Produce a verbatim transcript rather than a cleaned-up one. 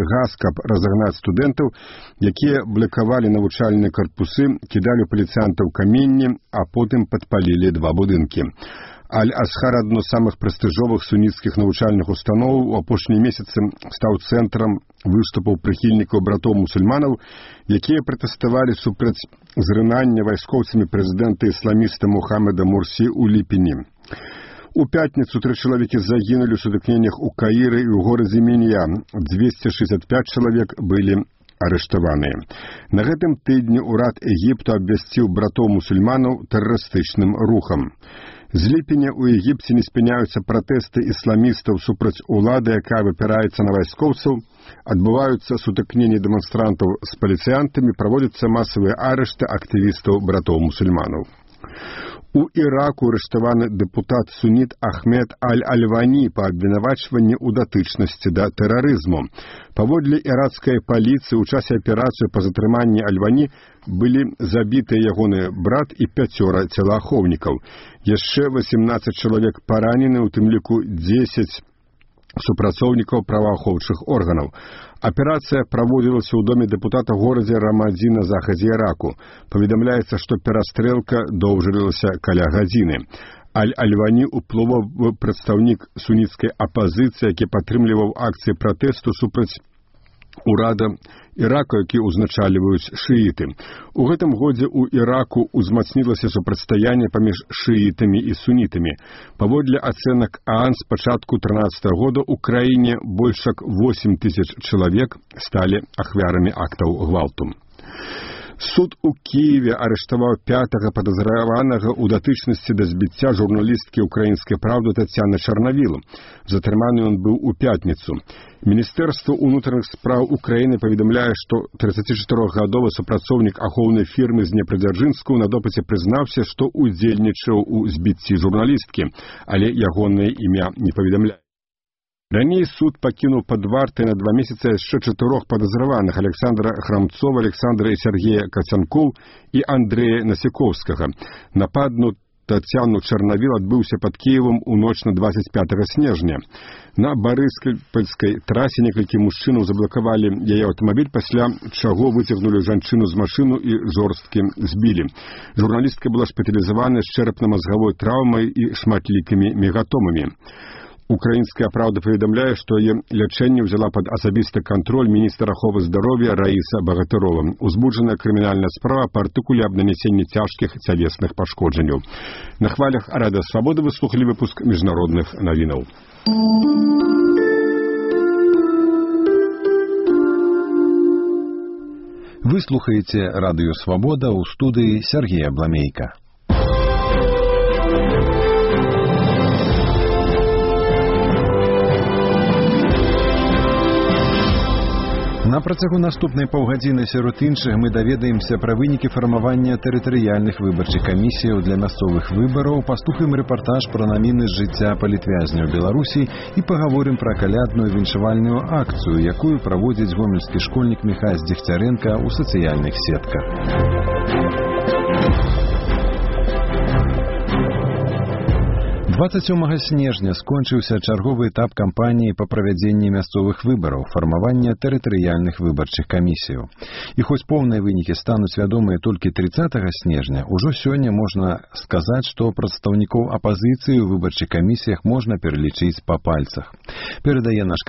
газ, каб разагнаць студэнтаў, якія блакавалі навучальныя карпусы, кідалі ў паліцыянтаў каменні, а потым падпалілі два будынкі. Аль-Асхар, адно з самых прэстыжовых суніцкіх навучальных установаў, у апошнія месяцы стаў цэнтрам выступаў прыхільнікаў братоў-мусульманаў, якія пратэставалі супраць зрынання вайскоўцамі прэзідэнта ісламіста Мухаммеда Мурсі ў ліпені. У пятніцу тры чалавекі загінулі ў сутыкненнях у Каіры і ў горадзе Мінья. дзвесце шэсцьдзесят пяць чалавек былі арыштаваныя. На гэтым тыдні ўрад Егіпту абвясціў братоў-мусульманаў тэрарыстычным рухам. З ліпеня ў Егіпце не спыняюцца пратэсты ісламістаў супраць улады, якая выпіраецца на вайскоўцаў, адбываюцца сутыкненні дэманстрантаў з паліцыянтамі, праводзяцца масавыя арышты актывістаў братоў-мусульманаў. У Іраку арыштаваны дэпутат-суніт Ахмед Аль-Альвані па абвінавачванні ў датычнасці да тэрарызму. Паводле іракскай паліцыі ў часе аперацыі па затрыманні Альвані былі забітыя ягоны брат і пяцёра целаахоўнікаў. Яшчэ васемнаццаць чалавек паранены, у тым ліку дзесяць супрацоўнікаў праваахоўчых органаў. Аперацыя праводзілася ў доме дэпутата горадзе Рамадзі на захадзе Іраку. Паведамляецца, што перастрэлка доўжылася каля гадзіны. Аль-Альвані уплывовы прадстаўнік суніцкай апазіцыі, які падтрымліваў акцыі пратэсту супраць урада Ірака, які ўзначальваюць шыіты. У гэтым годзе ў Іраку ўзмацнілася супрацьстаянне паміж шыітамі і сунітамі. Паводле ацэнак ААН з пачатку трынаццатага года ў краіне больш як восем тысяч чалавек сталі ахвярамі актаў гвалту. Суд у Киеве арыштаваў пятага падазраванага ў датычнасці да збіцця журналісткі ўкраінскай «Правды» Тацяны Чарнавіл. Затрыманы ён быў у пятніцу. Міністэрства ўнутраных спраў Украіны паведамляе, што трыццацічатырохгадовы супрацоўнік ахоўнай фірмы з Днепрадзяржынскую на допыце прызнаўся, што ўдзельнічаў у збіцці журналісткі, але ягонае імя не паведамляе. Раней суд пакінуў пад вартай на два месяцы яшчэ чатырох падазраваных: Александра Храмцова, Александра і Сергея Кацянкоў і Андрэя Насікоўскага. Напад на Тацяну Чарнавіл адбыўся пад Кіевам у ноч на двадцять пятага снежня. На Барыскальскай трасе некалькі мужчынаў заблакавалі яе аўтамабіль, пасля чаго выцягнулі жанчыну з машыну і жорсткі збілі. Журналістка была шпіталізавана з чэрапна-мазгавой траўмай і шматлікімі мегатомамі. Украінская «Правда» паведамляе, што яе лячэнне ўзяла пад асабісты кантроль міністр аховы здароўя Раіса Багатырова. Узбуджаная крымінальная справа па артыкуле аб нанесенні цяжкіх цялесных пашкоджанняў. На хвалях Радыё Свабода вы слухалі выпуск міжнародных навінаў. Вы слухаеце Радыё Свабода, ў студыі Сергея Бламейка. На працягу наступнай паўгадзіны сярод іншых мы даведаемся пра вынікі фармавання тэрытарыяльных выбарчых камісіяў для мясцовых выбараў, паслухаем рэпартаж пра навіны з жыцця палітвязняў Беларусі і пагаворым пра калядную віншавальную акцыю, якую праводзіць гомельскі школьнік Міхась Дзегцярэнка ў сацыяльных сетках. дваццаць сёмага снежня скончыўся чарговы этап кампаніі па правядзенні мясцовых выбараў, фармавання тэрытарыяльных выбарчых камісіяў. І хоць поўныя вынікі стануць вядомыя толькі трыццатага снежня, ужо сёння можна сказаць, што прадстаўнікоў апазіцыі ў выбарчых камісіях можна пералічыць па пальцах. Перадае наш